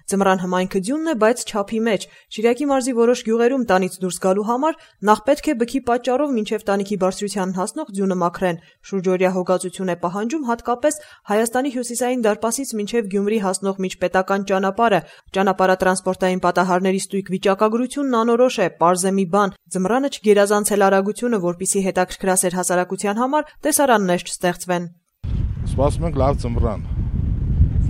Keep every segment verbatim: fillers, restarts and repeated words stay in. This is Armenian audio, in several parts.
Ձմռան հմայքը ձյունն է, բայց չափի մեջ։ Շիրակի մարզի որոշ գյուղերում տանից դուրս գալու համար նախ պետք է բքի պատճառով մինչև տանիքի բարձրությանն հասնող ձյունը մաքրեն։ Շուրջօրյա հոգացություն է պահանջում հատկապես Հայաստանի հյուսիսային դարպասից մինչև Գյումրի հասնող միջպետական ճանապարհը։ Ճանապարհատրանսպորտային պատահարների ստույգ վիճակագրությունն անորոշ է, պարզ է մի բան՝ ձմռանը չգերազանցել արագությունը, որպեսզի հետաքրքրասեր հասարակության համար տեսարաններ չստեղծվեն։ Սպասում ենք լավ ձմռան,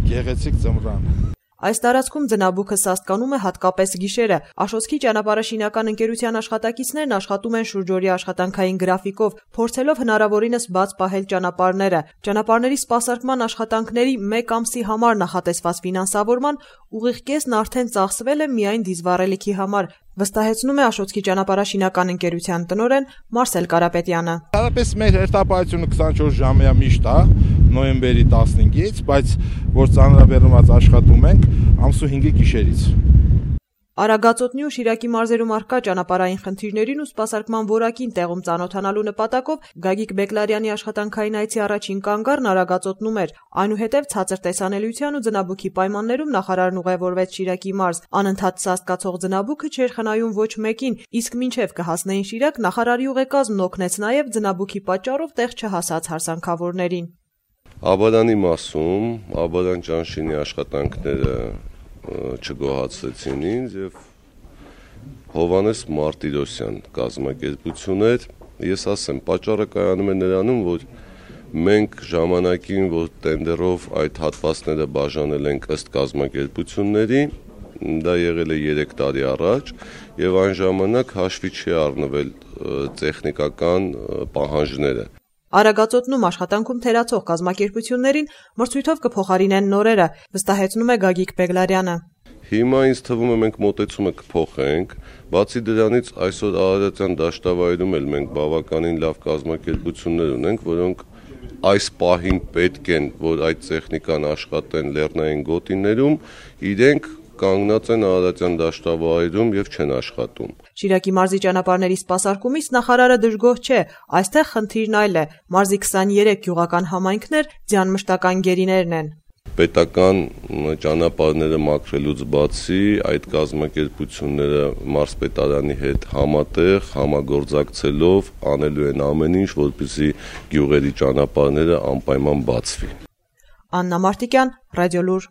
գեղեցիկ ձմռան։ Այս տարածքում ձնաբուքը սաստկանում է հատկապես գիշերը։ Աշոտքի ճանապարհաշինական ընկերության աշխատակիցներն աշխատում են շուրջօրյա աշխատանքային գրաֆիկով, փորձելով հնարավորինս բաց պահել ճանապարհները։ Ճանապարհների սպասարկման աշխատանքների մեկ ամսի համար նախատեսված ֆինանսավորման ուղիղ կեսն արդեն ծախսվել է միայն դիզվառելիքի համար, վստահեցնում է Աշոտքի ճանապարհաշինական ընկերության տնօրեն Մարսել Կարապետյանը։ Հարաբես մեր հերթապահությունը քսանչորս ժամյա միշտ է, նոյեմբերի տասնհինգից, բայց որ ծանրաբեռնված աշխատում ենք ամսու հինգի գիշերից։ Արագածոտնի ու Շիրակի մարզերում առկա ճանապարհային խնդիրներին ու սպասարկման որակին տեղում ծանոթանալու նպատակով Գագիկ Բեկլարյանի աշխատանքային այցի առաջին կանգառն Արագածոտնում էր։ Այնուհետև ցածր տեսանելիության ու ձնաբուքի պայմաններում նախարարն ուղևորվեց Շիրակի մարզ։ Անընդհատ սաստկացող ձնաբուքը չէր խնայում ոչ մեկին, իսկ մինչև կհասնեին Շիրակ, նախարարի ուղեկազմն օգնեց նաև ձնաբուքի պատճառով տեղ չհասած հարսանքավորներին։ Աբադանի մասում Աբադան ճանշինի աշխատանքները չգոհացրեցին ինձ եւ Հովանես Մարտիրոսյան կազմակերպություն էր։ Ես ասեմ, պատճառը կայանում է նրանում, որ մենք ժամանակին, որ տենդերով այդ հատվածները բաժանել ենք ըստ կազմակերպությունների, դա եղել է երեք տարի առաջ, եւ այն ժամանակ հաշվի չի առնվել տեխնիկական պահանջները։ Արագածոտնում աշխատանքում թերացող կազմակերպություններին մրցույթով կփոխարինեն նորերը, վստահեցնում է Գագիկ Բեկլարյանը։ Հիմա ինձ թվում է մենք մոտեցումը կփոխենք, բացի դրանից այսօր Արարատյան դաշտավայրում էլ մենք բավականին լավ կազմակերպություններ ունենք, որոնք այս պահին պետք են, որ այդ տեխնիկան աշխատեն լեռնային գոտիներում, իրենք կանգնած են Արարատյան դաշտավայրում եւ չեն աշխատում։ Շիրակի մարզի ճանապարհների սպասարկումից նախարարը դժգոհ չէ, այստեղ խնդիրն այլ է։ Մարզի քսաներեք գյուղական համայնքներ ձյան մշտական գերիներն են։ Պետական ճանապարհները մաքրելուց բացի այդ կազմակերպությունները մարզպետարանի հետ համատեղ համագործակցելով անելու են ամեն ինչ, որպեսզի գյուղերի ճանապարհները անպայման բացվի։ Աննա Մարտիկյան, Ռադիոլուր։